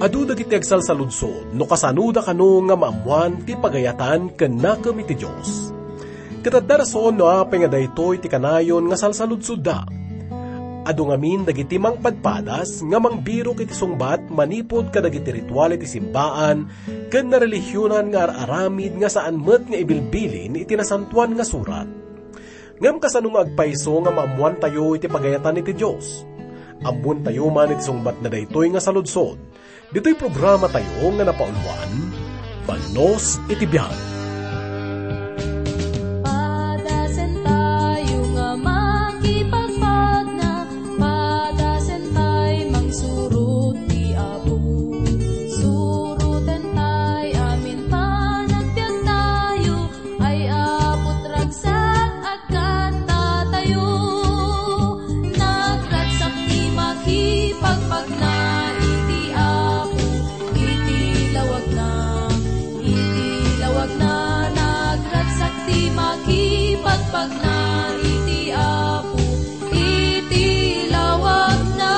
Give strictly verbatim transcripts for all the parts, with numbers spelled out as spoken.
Adu dagiti agsalsaludsod no kasanoda kano nga maammoan ti pagayatan ken nakem iti Dios. Ket adda rason no apay nga daytoy ti kanayon nga salsaludsodda. Adu ngamin dagiti mangpadpadas nga mangbirok iti sungbat manipud kadagiti ritual iti simbaan ken narelihionan nga ar-aramid nga saan met nga ibilbilin iti Nasantoan nga Surat. Ngem kasano nga agpayso nga maammoantayo iti pagayatan iti Dios? Ammoentayo man iti sungbatna daytoy nga saludsod. Ditoy programatayo nga napauluan, Banos iti Biag. Padasentayo nga makipagpagna, padasentay mangsurot ti Apo. Surotentay amin panagbiagtayo, ay Apo, ragsak, agkattatayo. Nagragsak ti makipagpagna iti Apo, iti lawagna, iti lawagna. Nagragsak ti makipagpagna iti Apo, iti lawagna.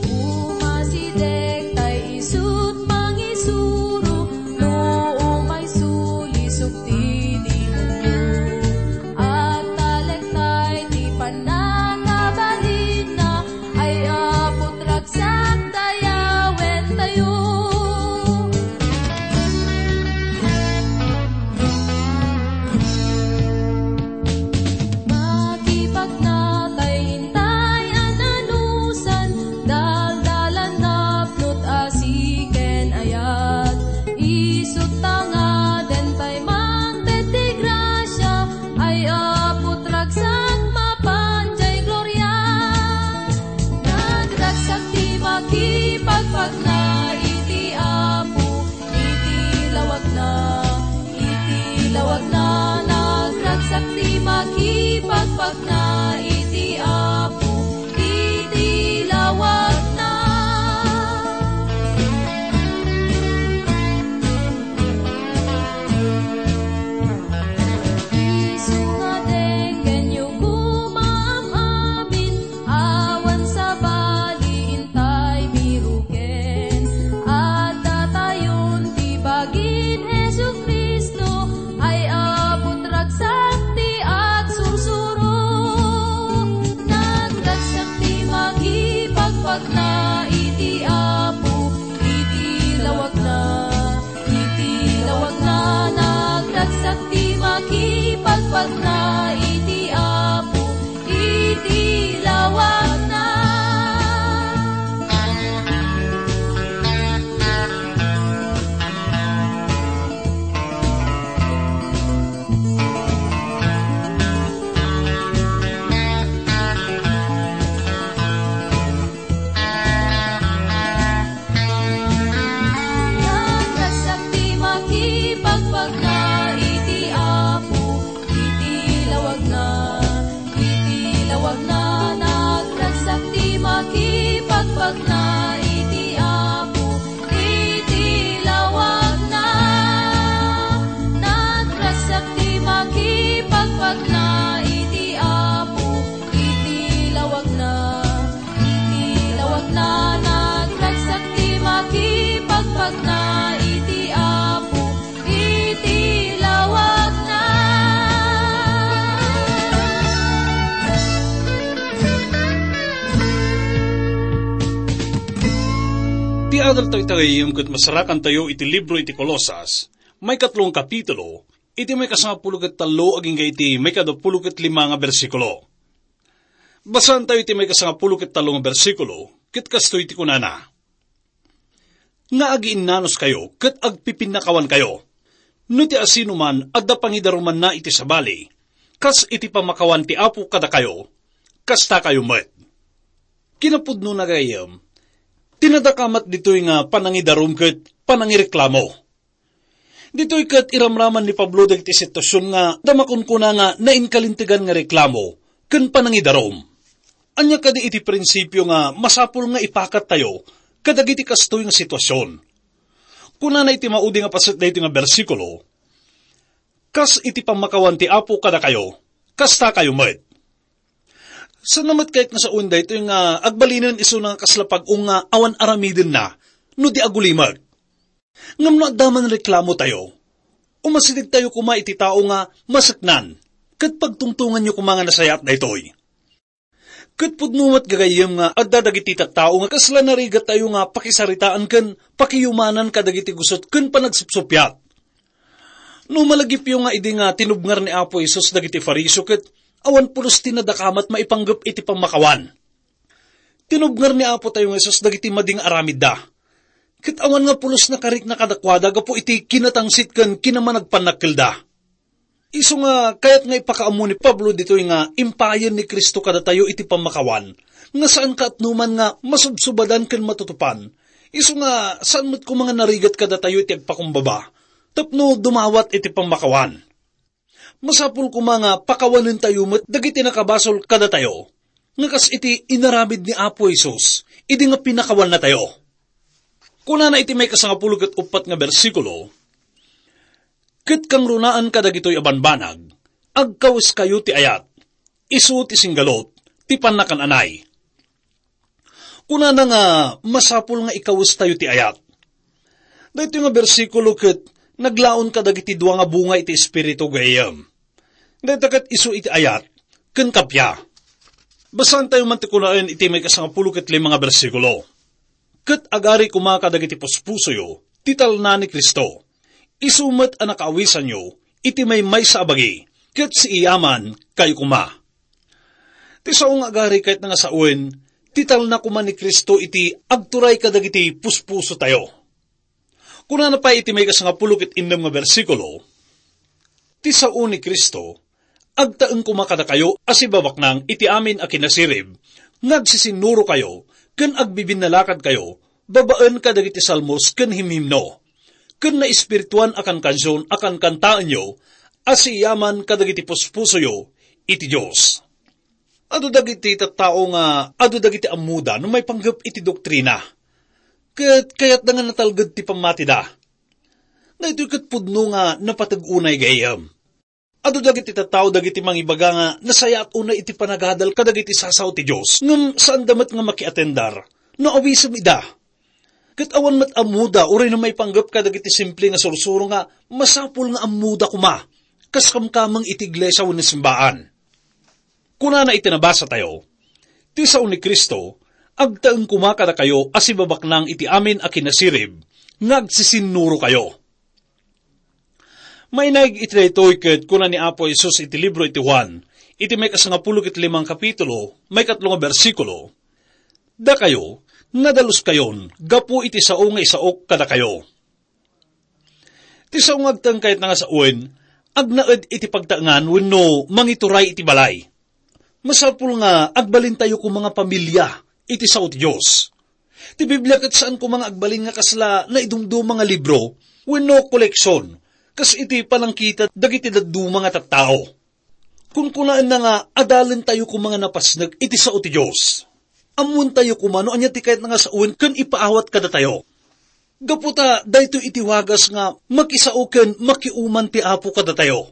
Umasideg tay isut' mangisuro, no umay sulisog ti demonio. Agtalek tay ti pannakabalinna, ay Apo, ragsak, dayawentayo. Makipagna tay intay a nanusan, daldalan napnot asi ken ayat. Isut' ta ngaden tay mangted ti grasia, ay Apo, ragsak, mapan jay gloria. Nagragsak ti makipagpagna iti Apo, iti lawagna, iti lawagna. Nagragsak ti makipagpagna iti Apo, iti lawagna. Isu nga denggenyo koma am-amin, awan sabali intay biroken. Addatayon ti bagin Jesu-Cristo, ay Apo, ragsak ti agsursuro. Nagragsak ti makipagpagna iti Apo, iti lawagna. Iti lawagna, nagragsak ti makipagpagna iti Apo, iti lawagna. Nagragsak ti makipagpagna iti Apo, iti lawagna, iti lawagna. Nagragsak ti makipagpagna iti Apo, iti lawagna. Nagragsak ti makipagpagna iti Apo, iti lawagna. Iti lawagna, nagragsak ti makipagpagna iti Apo, iti lawagna. Ti adaltayo ita gayyem ket masarakantayo iti libro iti Colosas, maikatlo nga kapitulo, iti maikasangapulo ket tallo agingga iti maikadapulo ket lima nga bersikulo. Basaantayo iti maikasangapulo ket tallo nga bersikulo, ket kastoy ti kunana, "Nga agiinnanuskayo ket agpipinnakawankayo, no ti asinoman adda pangidarumanna iti sabali, kas iti pammakawan ti Apo kadakayo, kastakayo met." Kinapudnona, gayyem, ti nadakamat ditoy nga panangidarum ket panangireklamo. Ditoy ket iramraman ni Pablo dagiti situasion nga adda makunkuna nga nainkalintegan nga reklamo ken panangidarum. Ania kadi iti prinsipio nga masapul nga ipakattayo kadagiti kastoy nga situasion? Kunana iti maudi nga paset daytoy nga bersikulo, "Kas iti pammakawan ti Apo kadakayo, kastakayo met." Saan met kayat nga sawen daytoy nga agbalinen isuna nga kasla pag-ong nga awan aramidenna no di agulimeg. Ngem no adda man reklamotayo, umasidegtayo koma iti tao nga maseknan, ket pagtungtonganyo koma nga nasayaat daytoy. Ket pudno met gagayyem nga adda dagiti tattao nga kasla narigattayo nga pakisaritaan ken pakiyumanan kadagiti gusot ken panagsupsuppiat. No malagipyo nga idi nga tinubngar ni Apo Jesus dagiti Fariseo ket awan pulos ti nadakamat maipanggep iti pammakawan. Tinubngar ni Apo tayo nga Jesus dagiti madi nga aramidda. Ket awan nga pulos nakarikna kadakuada gapu iti kinatangsit ken kinamanagpannakkelda. Isu nga kayat nga ipakaammo ni Pablo ditoy nga impayen ni Cristo kadatayo iti pammakawan, nga saan kaatnoman nga masubsubadan ken matutupan. Isu nga saan met koma nga narigat kadatayo iti agpakumbaba tapno dumawat iti pammakawan. Masapul koma nga pakawanentayo met dagiti nakabasol kadatayo, nga kas iti inaramid ni Apo Jesus idi nga pinakawannatayo. Kunana iti maikasangapulo ket uppat nga bersikulo, "Ket kangrunaan kadagitoy a banbanag, agkaweskayo ti ayat, isu ti singgalut, ti pannakan-anay." Kunana nga masapul nga ikawestayo ti ayat. Daytoy nga bersikulo ket naglaon kadagiti dua nga bunga iti Espiritu gayyem. Dayta ket isu iti ayat ken kappia. Basaantayo man ti kunaen iti maikasangapulo ket lima nga bersikulo. "Ket agari koma kadagiti puspusoyo ti talna ni Cristo. Isu met a nakaawisanyo iti maymaysa a bagi, ket siiyaman kayo koma." Ti sao nga agari kayatna nga sawen, ti talna koma ni Cristo iti agturay kadagiti puspusotayo. Kunana pay iti maikasangapulo ket innem nga bersikulo, "Ti sao ni Cristo, agtaeng koma kadakayo a sibabaknang iti amin a kinasirib, nga agsisinnurokayo ken agbibinnalakadkayo babaen kadagiti salmos ken himhimno, ken naespirituan a kankansion a kankantaenyo a siiyaman kadagiti puspusoyo iti Dios." Adu dagiti tattao nga adu dagiti ammoda no maipanggep iti doktrina, ket kayatda nga natalged ti pammatida. Daytoy ket pudno nga napateg unay gayyem. Adu dagiti tattao dagiti mangibaga nga nasayaat unay iti panagadal kadagiti sasao ti Dios, ngem saanda met nga makiatendar no awisem ida. Ket awan met ammoda uray no maipanggep kadagiti simple nga sursuro nga masapul nga ammoda koma, kas kamkameng iti iglesia wenno simbaan. Kunana iti nabasatayo, "Ti sao ni Cristo, agtaeng koma kadakayo a sibabaknang iti amin a kinasirib nga agsisinnurokayo." Mainaig iti daytoy ket kuna ni Apo Jesus iti libro iti Juan, iti maikasangapulo ket limang kapitulo, maikatlo nga bersikulo, "Dakayo, nadaluskayon gapu iti sao nga isaok kadakayo." Ti sao nga agtaeng kayatna nga sawen, agnaed iti pagtaengan wenno mangituray iti balay. Masapul nga agbalintayo koma nga pamilia iti sao ti Dios. Ti Biblia ket saan koma nga agbalin nga kasla naidumduma nga libro wenno koleksion, kas iti panangkita dagiti dadduma nga tattao. Kunkunaenna nga adalentayo koma nga napasnek iti sao ti Dios. Ammoentayo koma no ania ti kayatna nga sawen ken ipaawat kadatayo. Gapu ta daytoy iti wagas nga makisao ken makiuman ti Apo kadatayo,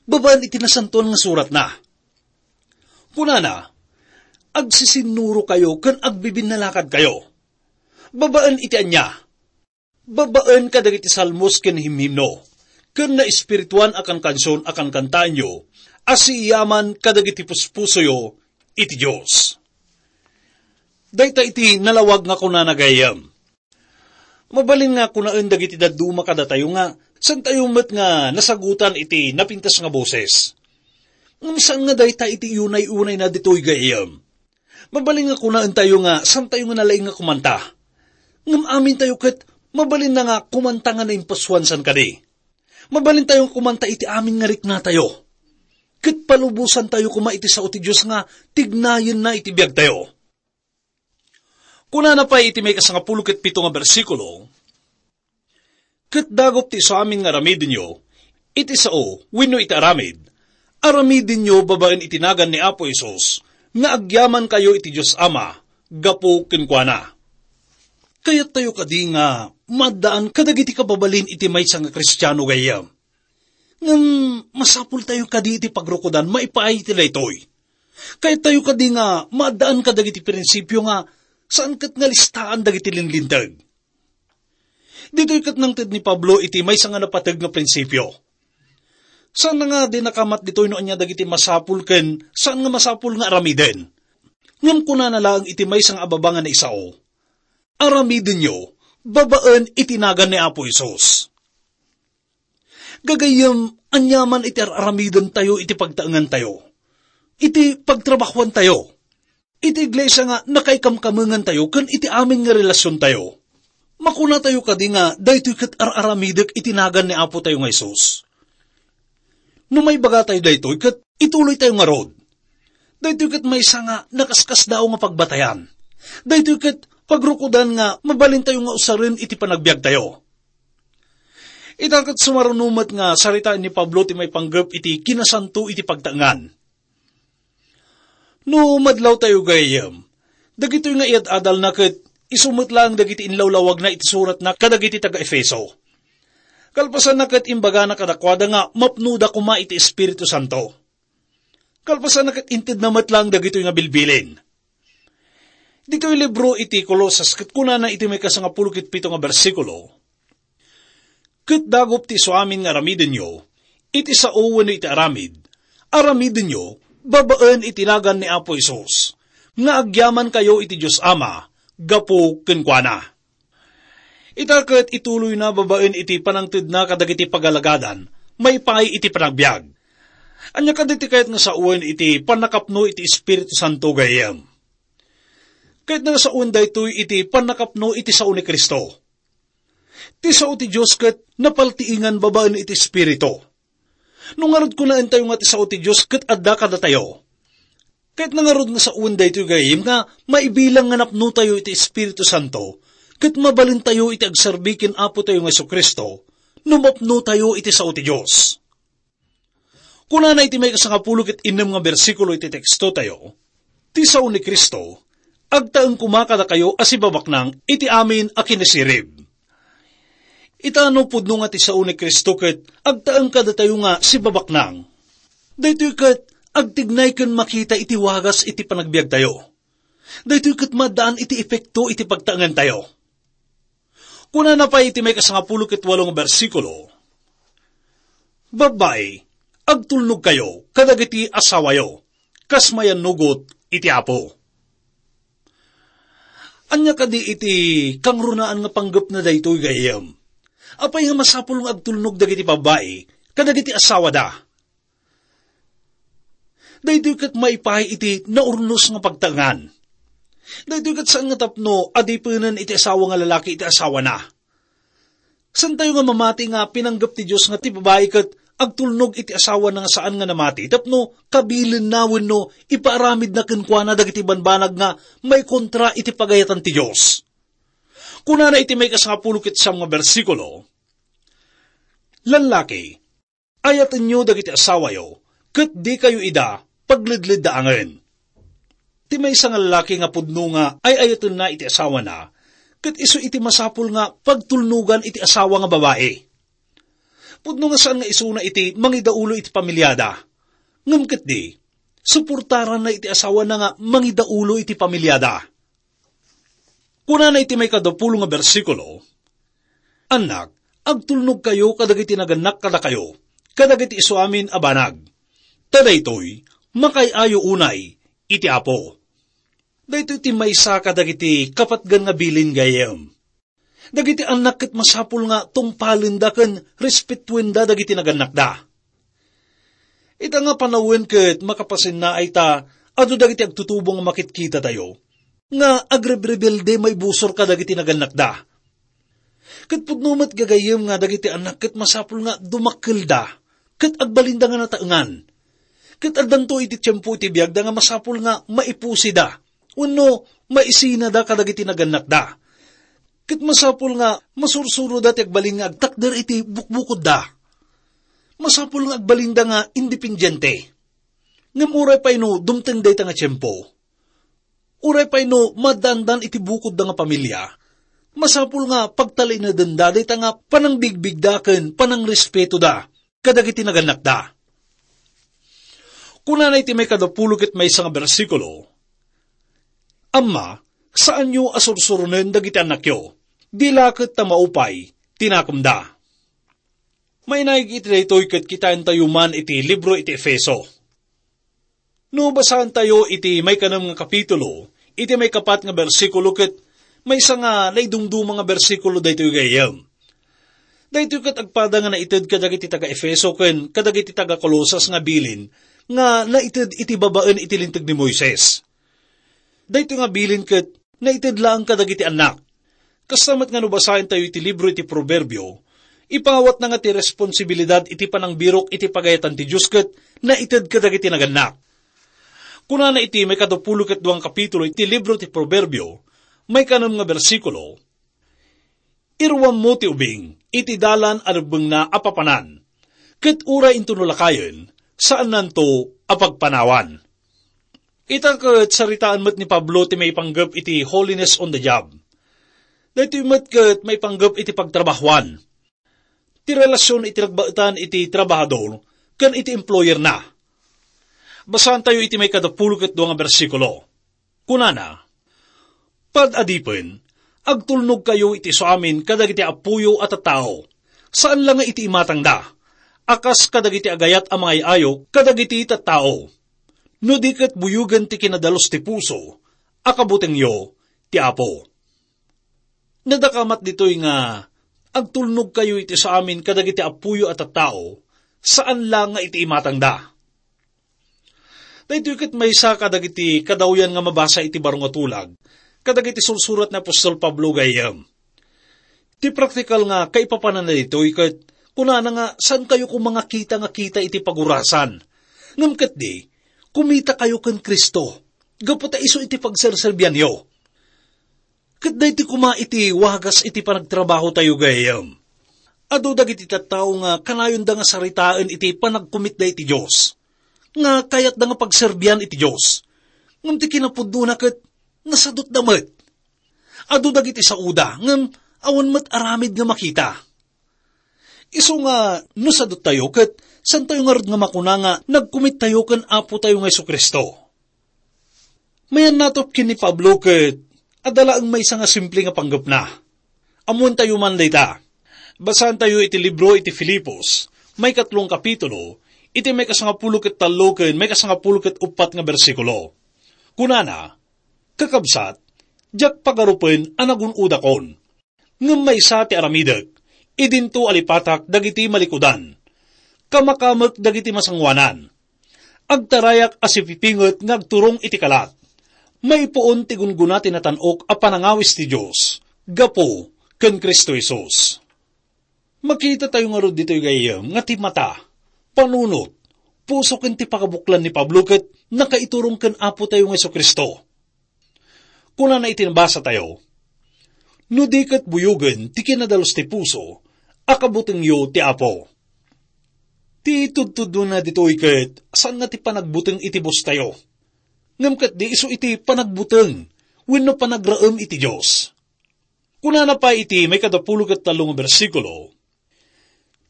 babaen iti Nasantoan nga Suratna. Kunana, "Agsisinnurokayo ken agbibinnalakadkayo." Babaen iti ania? Babaen kadagiti salmos ken himhimno, ken naespirituan a kankansion a kankantaenyo a siiyaman kadagiti puspusoyo iti Dios. Dayta iti nalawag nga kunana gayyem. Mabalin nga kunaen dagiti dadduma kadatayo nga saantayo met nga nasagutan iti napintas nga boses. Ngem saan nga dayta iti unay-unayna ditoy gayyem. Mabalin nga kunaentayo nga saantayo nga nalaing nga kumanta. Ngem amintayo ket mabalinna nga kumanta nga naimpasoan san kadi. Mabalintayo nga kumanta iti amin nga riknatayo. Ket palubosantayo koma iti sao ti Dios nga tignayenna iti biagtayo. Kunana pay iti maikasangapulo ket pito nga bersikulo, "Ket dagup ti isuamin nga aramidenyo, iti sao wenno iti aramid, aramidenyo babaen iti nagan ni Apo Jesus nga agyamankayo iti Dios Ama gapu kenkuana." Kayattayo kadi nga maaddaan kadagiti kababalin iti maysa nga Kristiano gayyem? Ngem masapultayo kadi iti pagrukodan maipaay iti daytoy. Kayat tayo kadi nga maaddaan kadagiti prinsipio nga saan ket nga listaan dagiti linlinteg. Ditoy ket nangted ni Pablo iti maysa nga napateg nga prinsipio. Saan nga di nakamat ditoy no ania dagiti masapul ken saan nga masapul nga aramiden. Ngem kunana laeng iti maysa nga ababa nga naisao, "Aramidenyo babaen iti nagan ni Apo Jesus." Gagayyem, aniaman iti ar-aramidentayo iti pagtaengantayo, iti pagtrabahoantayo, iti iglesia nga nakaikamkamengantayo ken iti amin nga relasiontayo. Makunatayo kadi nga daytoy ket ar-aramidek iti nagan ni Apotayo nga Jesus? No maibagatayo daytoy, ket ituloytayo ngarud. Daytoy ket maysa nga nakaskasdaaw nga pagbatayan. Daytoy ket pagrukodan nga mabalintayo nga usaren iti panagbiagtayo. Ita ket sumaruno met nga saritaen ni Pablo ti maipanggep iti kinasanto iti pagtaengan. No madlawtayo gayam, dagitoy nga iyad-adalna ket isu met laeng dagiti inlawlawagna iti suratna kadagiti taga-Efeso. Kalpasanna ket imbagana kadakuada nga mapnoda koma iti Espiritu Santo. Kalpasanna ket intedna met laeng dagitoy nga bilbilin. Ditoy libro iti Colosas ket kunana iti maikasangapulo ket pito nga bersikulo, "Ket dagup ti isuamin nga aramidenyo, iti sao wenno iti aramid, aramidenyo babaen iti nagan ni Apo Jesus, nga agyamankayo iti Dios Ama gapu kenkuana." Ita ket ituloyna babaen iti panangtedna kadagiti pagalagadan, maipaay iti panagbiag. Ania kadi ti kayat nga sawen iti pannakapno iti Espiritu Santo gayam? Kayat nga sawen daytoy iti pannakapno iti sao ni Cristo. Ti sao ti Dios ket napaltiingan babaen iti Espiritu. No ngarud kunaentayo nga ti sao ti Dios ket adda kadatayo, kayat na ngarud nga sawen daytoy gayam nga maibilang nga napnotayo iti Espiritu Santo, ket mabalintayo iti agserbi ken Apotayo nga Jesu-Cristo no mapnotayo iti sao ti Dios. Kunana iti maikasangapulo ket innem nga bersikulo iti tekstotayo, "Ti sao ni Cristo, agtaeng koma kadakayo a sibabaknang iti amin a kinasirib." Ita no pudno nga ti sao ni Cristo ket agtaeng kadatayo nga sibabaknang, daytoy ket agtignay ken makita iti wagas iti panagbiagtayo. Daytoy ket maddaan iti epekto iti pagtaengantayo. Kunana pay iti maikasangapulo ket walo nga bersikulo, "Babbai, agtulnogkayo kadagiti asawayo, kas mayannugot iti Apo." Ania kadi iti kangrunaan nga panggepna daytoy gayam? Apay nga masapul nga agtulnog dagiti babbai kadagiti asawada? Daytoy ket maipaay iti naurnos nga pagtaengan. Daytoy ket saan nga tapno adipenen iti asawa nga lalaki iti asawana. Saantayo nga mamati nga pinanggep ti Dios nga ti babai ket agtulnog iti asawana nga saan nga namati tapno kabilenna wenno ipaaramidna kenkuana dagiti banbanag nga maikontra iti pagayatan ti Dios. Kunana iti maikasangapulo ket siam nga bersikulo, "Lallaki, ayatenyo dagiti asawayo, ket dikayo ida pagledleddaangen." Ti maysa nga lalaki nga pudno nga ay-ayatenna iti asawana, ket isu iti masapul nga pagtulnogan iti asawa nga babai. Pudno nga saan nga isuna iti mangidaulo iti pamiliada, ngem ketdi, suportaranna iti asawana nga mangidaulo iti pamiliada. Kunana iti maikadapulo nga bersikulo, "Annak, agtulnogkayo kadagiti nagannak kadakayo, kadagiti isuamin a banag. Ta daytoy, makaay-ayo unay iti Apo." Daytoy ti maysa kadagiti kapatgan nga bilin gayam. Dagiti annak ket masapul nga tungpalenda ken respetuenda dagiti nagannakda. Ita nga panawen ket makapasennaay ta adu dagiti agtutubo nga makitkitatayo nga agrebrebelde maibusor kadagiti nagannakda. Ket pudno met gagayyem nga dagiti annak ket masapul nga dumakkelda ket agbalinda nga nataengan. Ket addanto iti tiempo iti biagda nga masapul nga maipusida wenno maisinada kadagiti nagannakda. Ket masapul nga masursuroda ti agbalin nga agtakder iti bukbukodda. Masapul nga agbalinda nga independiente. Ngem uray pay no dumteng dayta nga tiempo, uray pay no maddandan iti bukodda nga pamilia, masapul nga pagtalinaedenda dayta nga panangbigbigda ken panangrespeto da kadagiti nagannakda. Kunana iti maikadapulo ket maysa nga bersikulo, "Amma, saanyo a sursuronen dagiti annakyo. Di la ket ta maupay ti nakemda." Mainaig iti daytoy ket kitaentayo man iti libro iti Efeso. No basaentayo iti maikanem nga kapitulo, iti maikapat nga bersikulo ket maysa nga naidumduma nga bersikulo daytoy gayyem. Daytoy ket agpada nga naited kadagiti taga-Efeso ken kadagiti taga-Colosas nga bilin nga naited iti babaen iti Linteg ni Moises. Daytoy nga bilin ket naited laeng kadagiti annak. Kasta met nga no basaentayo iti libro iti Proverbio, ipangawatna nga ti responsibilidad iti panangbirok iti pagayatan ti Dios ket naited kadagiti nagannak. Kunana iti maikadapulo ket dua nga kapitulo iti libro ti Proverbio, maikanem nga bersikulo, "Iruammo ti ubing iti dalan a rebbengna a papanan, ket uray intono lakayen, saannanto a pagpanawan." Ita ket saritaan met ni Pablo ti maipanggep iti holiness on the job. Daytoy met ket maipanggep iti pagtrabahoan. Ti relasion iti nagbaetan iti trabahador ken iti employer na. Basaantayo iti maikadapulo ket dua nga bersikulo. Kunana, "Pad-adipen, agtulnogkayo iti isuamin kadagiti appoyo a tattao, saan la nga iti imatangda, a kas kadagiti agayat a mangay-ayo kadagiti tattao. No di ket buyogen ti kinadalus ti puso, a kabutengyo ti Apo." Nadakamat ditoy nga agtulnogkayo iti isuamin kadagiti appoyo a tattao, saan la nga iti imatangda. Daytoy ket maysa kadagiti kadawyan nga mabasa iti baro nga tulag, kadagiti sursurat ni apostol Pablo gayyem. Ti praktikal nga kaipapananna daytoy ket kunana nga saankayo koma nga kita nga kita iti pagurasan. Ngem ketdi, kumitakayo ken Cristo, gapu ta isu iti pagserserbianyo. Ket daytoy koma iti wagas iti panagtrabahotayo gayyem. Adu dagiti tattao nga kanayonda nga saritaen iti panagkumitda iti Dios, nga kayatda nga pagserbian iti Dios. Ngem ti kinapudnona ket nasadutda met. Adu dagiti saoda, ngem awan met aramid nga makita. Isu nga no saduttayo, ket saantayo ngarud nga makuna nga nagkumittayo ken Apotayo nga Jesu-Cristo. Mayannatop ken ni Pablo ket adda laeng maysa nga simple nga panggepna. Ammoentayo man dayta. Basaantayo iti libro iti Filipos, maikatlo nga kapitulo, iti maikasangapulo ket tallo ken maikasangapulo ket uppat nga bersikulo. Kunana, "Kakabsat, diak pagarupen a nagun-odakon. Ngem maysa ti aramidek, idinto a lipatak dagiti malikudan, kamakamek dagiti masangoanan, agtarayak a sipipinget nga agturong iti kalat, maipuon ti gunggona ti natan-ok a panangawis ti Dios gapu ken Cristo Jesus." Makitatayo ngarud ditoy gayyem nga ti mata, panunot, puso ken ti pakabuklan ni Pablo ket nakaiturong ken Apotayo nga Jesu-Cristo. Kunana iti nabasatayo, "No di ket buyogen ti kinadalus ti puso, a kabutengyo ti Apo." Ti tudtudona ditoy ket saan nga ti panagbuteng iti bostayo, ngem ket di isu iti panagbuteng wenno panagraem iti Dios. Kunana pay iti maikadapulo ket tallo nga bersikulo,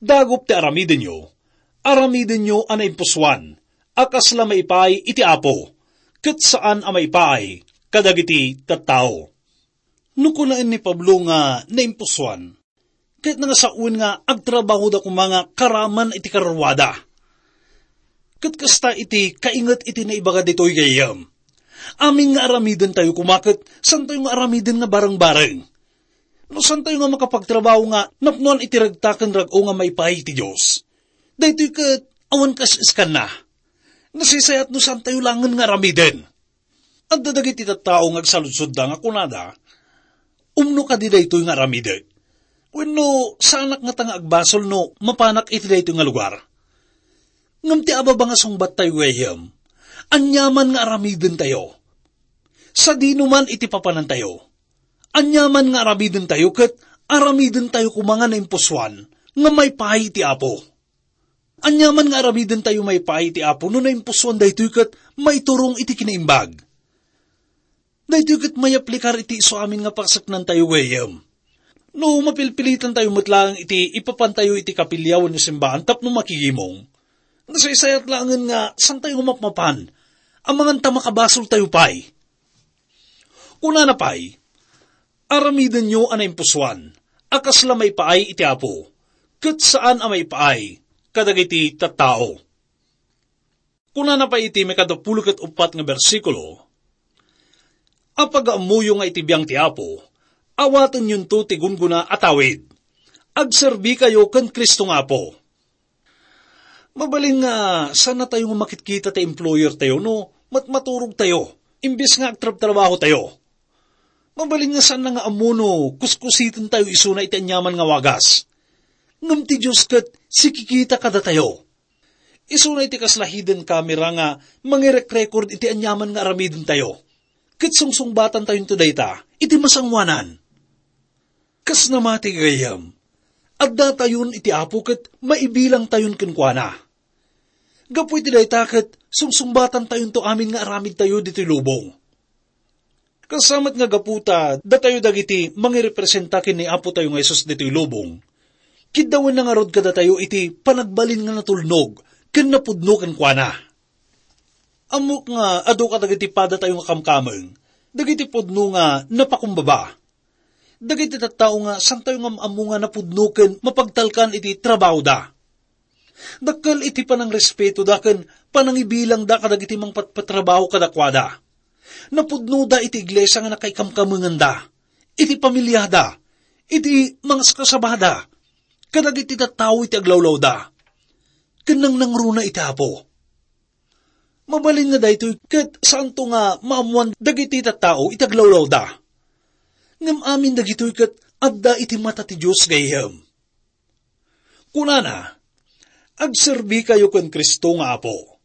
"Dagup ti aramidenyo, aramidenyo a naimpusoan, a kasla maipaay iti Apo, ket saan a maipaay kadagiti tattao." No kunaen ni Pablo nga naimpusoan, ket nangasawen nga agtrabahoda koma nga karaman iti kararuada. Ket kasta iti kainget iti naibaga ditoy gayyem. Amin nga aramidentayo koma ket santayo nga aramiden nga bareng-bareng. No santayo nga makapagtrabaho nga napnoan iti regta ken rag-o nga maipaay iti Dios, daytoy ket awan kas-iskanna. Nasisayat no santayo langen nga aramiden. Adda dagiti tattao nga agsaludsodda nga kunada, "Umno kadi daytoy nga aramidek? Wenno saanak ngata nga agbasol no mapanak iti daytoy nga lugar?" Ngem ti ababa nga sungbattayo gayyem, aniaman nga aramidentayo, sadino man iti papanantayo, aniaman nga aramidentayo ket aramidentayo koma nga naimpusoan nga maipaay ti Apo. Aniaman nga aramidentayo maipaay ti Apo no naimpusoan daytoy ket maiturong iti kinaimbag. Daytoy ket mayaplikar iti isuamin nga paseknantayo gayyem. No mapilpilitantayo met laeng iti ipapantayo iti kapilya wenno simbaan tapno makigimong, Nasaysayat laengen nga santayo nga mapmapan, amangan ta makabasoltayo pay. Kunana pay, "Aramidenyo a naimpusoan, a kasla maipaay iti Apo, ket saan a maipaay kadagiti tattao." Kunana pay iti maikadapulo ket uppat nga bersikulo, "Apag-ammoyo nga iti biang ti Apo, awatenyonto ti gunggona a tawid. Agserbikayo ken Cristo nga Apo." Mabalin nga saan natayo nga makitkita ti employer tayo no matmaturog tayo, imbes nga agtrabtrabaho tayo. Mabalin nga saan na nga ammo no kuskusiten tayo isuna iti aniaman nga wagas. Ngem ti Dios ket sikikita kadatayo. Isuna iti kasla hidden camera nga mangirekrekord iti aniaman nga aramiden tayo. Ket sungsungbatan tayonto dayta iti masangoanan. Kas namati gayam, adda tayon iti Apo ket maibilang tayon kenkuana. Gapu iti dayta ket sungsungbatan tayonto amin nga aramid tayo ditoy lubong. Kasamet nga gapu ta datayo dagiti mangirepresenta ken ni Apo tayo nga Jesus ditoy lubong, kiddawenna ngarud kadatayo iti panagbalin nga natulnog ken napudno kenkuana. Ammok nga adu kadagiti padatayo nga kamkameng, dagiti pudno nga napakumbaba. Dagiti tattao nga santayo nga am-ammo nga napudno ken mapagtalkan iti trabahoda. Dakkel iti panangrespeto da ken panangibilang da kadagiti mangpatpatrabaho kadakuada. Napudno da iti iglesia nga nakaikamkamenganda, iti pamiliada, iti mangaskasabada, kadagiti tattao iti aglawlawda, ken nangnangruna iti Apo. Mabalin nga daytoy ket saanto nga maammoan dagiti tattao iti aglawlawda. Ngem amin dagitoy ket adda iti mata ti Dios gayyem. Kunana, "Agserbikayo ken Cristo nga Apo."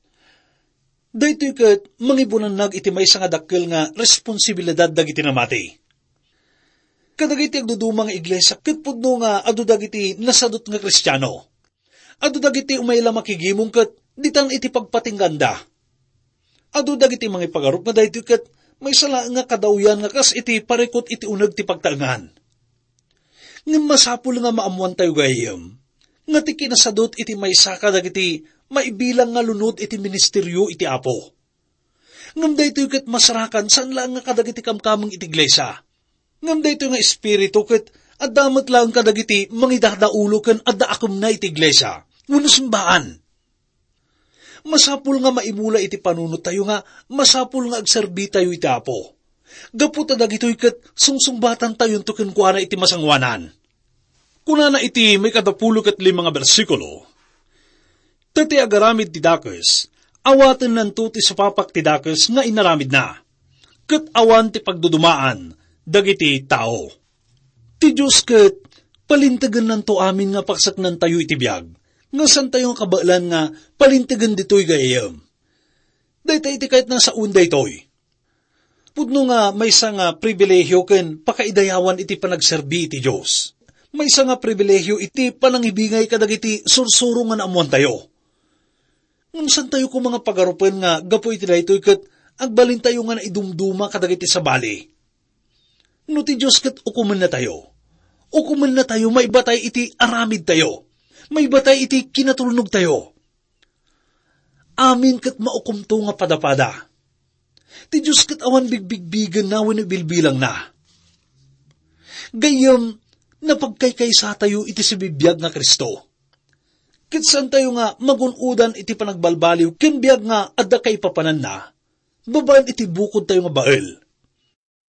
Daytoy ket mangibunannag iti maysa nga dakkel nga responsibilidad dagiti namati. Kadagiti agduduma nga iglesia ket pudno nga adu dagiti nasadut nga Kristiano. Adu dagiti umay la makigimong ket ditan iti pagpatingganda. Adu dagiti mangipagarup nga daytoy ket maysa laeng nga kadawyan nga kas iti parikut iti uneg ti pagtaengan. Ngem masapul nga maammoantayo gayyem nga ti kinasadut iti maysa kadagiti maibilang nga lunod iti ministerio iti Apo. Ngem daytoy ket masarakan saan laeng nga kadagiti kamkameng iti iglesia. Ngem daytoy nga espiritu ket adda met laeng kadagiti mangidadaulo ken adda akemna iti iglesia wenno simbaan. Masapul nga maimula iti panunottayo nga masapul nga agserbitayo iti Apo. Gapu ta dagitoy ket sungsungbatantayonto kenkuana iti masangoanan. Kunana iti maikadapulo ket lima nga bersikulo, "Ta ti agaramid ti dakes, awatennanto ti supapak ti dakes nga inaramidna, ket awan ti pagdudumaan dagiti tao." Ti Dios ket palintegennanto amin nga pakseknantayo iti biag, nga santayo nga kabaelan nga palintegen ditoy gayyem. Dayta iti kayatna sawen daytoy. Pudno nga maysa nga pribilehiyo ken pakaidayawan iti panagserbi iti Dios. Maysa nga pribilehiyo iti panangibingay kadagiti sursuro nga naammoantayo. Ngem santayo koma nga pagarupen nga gapu iti daytoy ket agbalintayo nga naidumduma kadagiti sabali. No ti Dios ket ukomennatayo, ukomennatayo maibatay iti aramidtayo, maibatay iti kinatulnogtayo. Amin ket maukomto nga padapada. Ti Dios ket awan bigbigbigenna wenno bilbilangna. Gayyem, napagkaysatayo iti sibibiag nga Cristo. Ket saantayo nga magun-odan iti panagbalbaliw ken biag nga adda kaipapananna, babaen iti bukodtayo nga bael.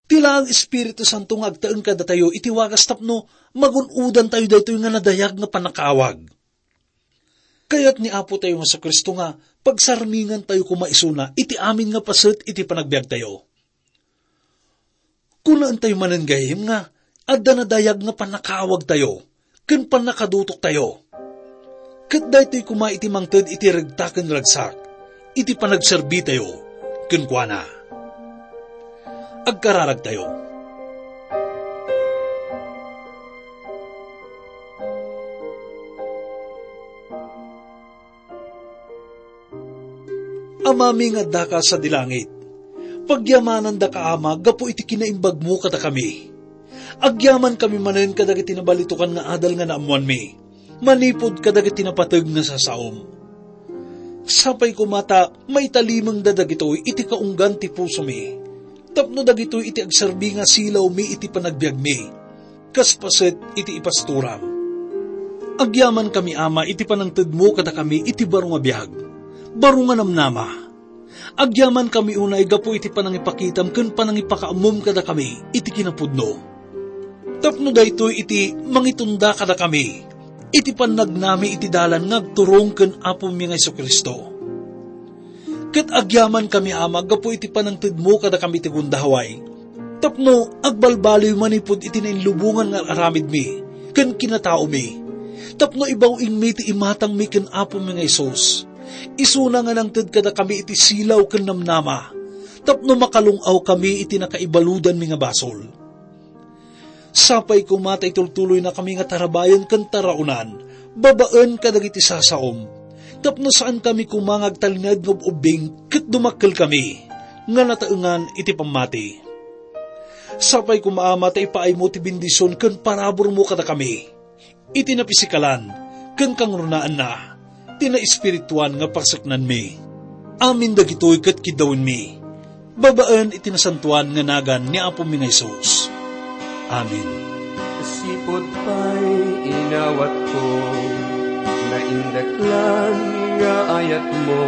Ti laeng Espiritu Santo nga agtaeng kadatayo iti wagas tapno magun-odantayo daytoy nga nadayag nga pannakaawag. Kayat ni Apo tayo nga Jesu-Cristo nga pagsarmingantayo koma isuna iti amin nga paset iti panagbiagtayo. Kunaentayo manen gayyem nga adda nadayag nga pannakaawagtayo ken pannakadutoktayo. Ket daytoy koma iti mangted iti regta ken ragsak iti panagserbitayo kenkuana. Agkararagtayo. Amami nga addaka sadi langit, pagyamanandaka, Ama, gapu iti kinaimbagmo kadakami. Agyamankami manen kadagiti nabalitokan nga adal nga naammoanmi, manipud kadagiti napateg nga sasaom. Sapay koma ta maitalimengda dagitoy iti kaunggan ti pusomi, tapno dagitoy iti agserbi nga silawmi iti panagbiagmi, kas paset iti ipastoram. Agyamankami, Ama, iti panangtedmo kadakami iti baro nga biag, baro nga namnama. Agyamankami unay gapu iti panangipakitam ken panangipakaammom kadakami iti kinapudno. Tapno daytoy iti mangitunda kadakami iti pannagnami iti dalan nga agturong ken Apomi nga Jesu-Cristo. Ket agyamankami, Ama, gapu iti panangtedmo kadakami iti gundaway, tapno agbalbaliw manipud iti nainlubongan nga aramidmi ken kinataomi, tapno ibaw-ingmi ti imatangmi ken Apomi nga Jesus. Isuna nga nangted kadakami iti silaw ken namnama, tapno makalung-awkami iti nakaibaludanmi nga basol. Sapay koma ta itultuloynakami nga tarabayen ken taraonan babaen kadagiti sasaom, tapno saankami koma nga agtalinaed nga ub-ubbing ket dumakkelkami nga nataengan iti pammati. Sapay koma, Ama, ta ipaaymo ti bendision ken paraburmo kadakami iti napisikalan ken kangrunaan ti naespirituan nga paseknanmi. Amin dagitoy ket kiddawenmi, babaen iti nasantoan nga nagan ni Apomi nga Jesus. Amen. Sipud pay inawatko, naindaklan nga ayatmo,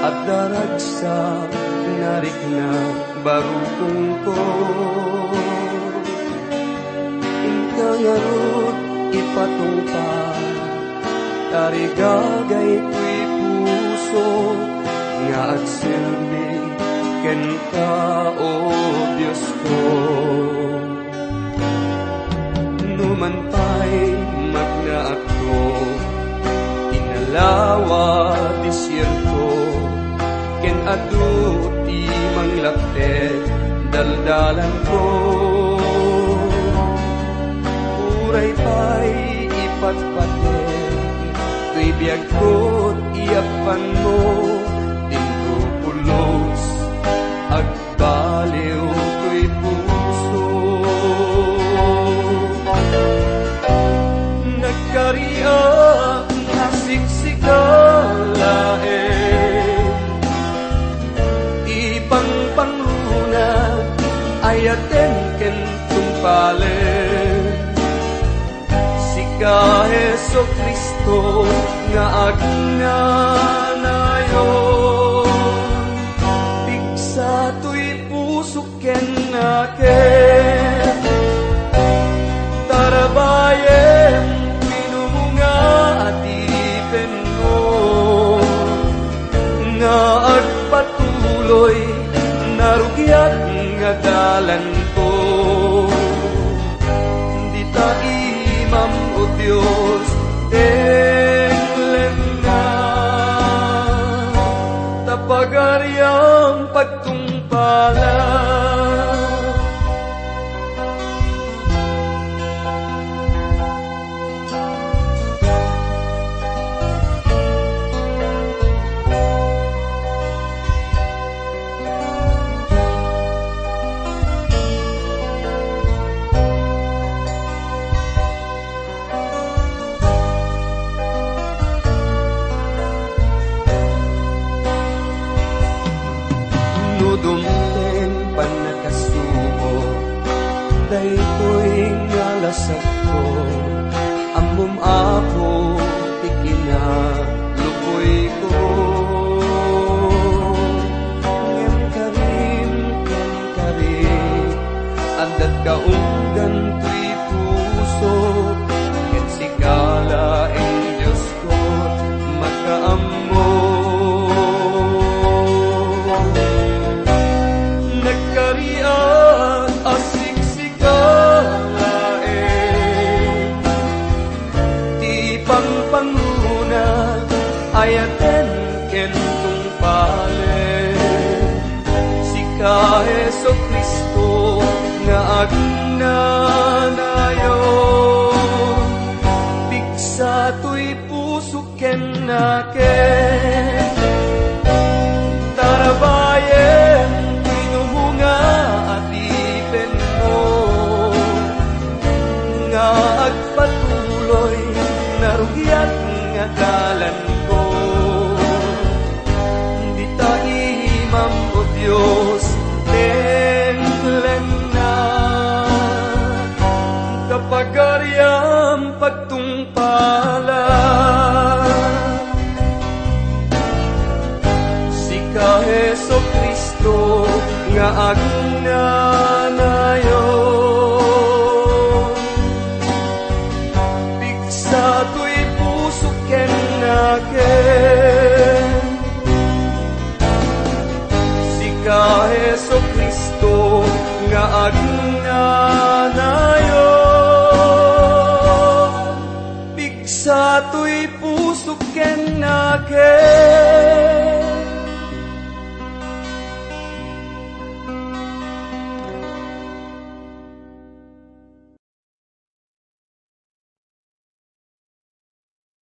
adda ragsak nga rikna barukongko. Inka ngarud ipatungpal, tarigagay toy puso nga agserbi kenka, O Diosko. Numan pay magnaakto, inalawa desierto, ken adu ti manglaptek daldalanko. Uray pay ipatpatek toy biagko ti yappanmo, inko pulos agbaliw toy puso. Nagkariak nga siksika laeng ti pangpangruna, ayaten ken tungpalen. Sika, Jesu-Cristo, nga agnanayon, pigsa toy pusok ken nakem. Tarabayem ti numunga a dipenmo, nga agpatuloy narugiat nga dalanko. Dita imam, O Dios, tenglenna, ta pagariam pagtungpalan. No dumteng pannakasubo, daytoy nga lasagko, ammom, Apo, ti kinalukoyko. Ngem karim ken karim, adda't kaunggan toy puso, ken sika laeng, Diosko, makaammo. Nagkariak a siksika laeng ti pangpangruna, ayaten ken tungpalen. Sika, Jesu-Cristo, nga agnanayon, pigsa toy puso ken nakem. Tarabayem ti numunga a dipenmo, nga agpatuloy narugiat nga dalanko. Pusok ken nakem.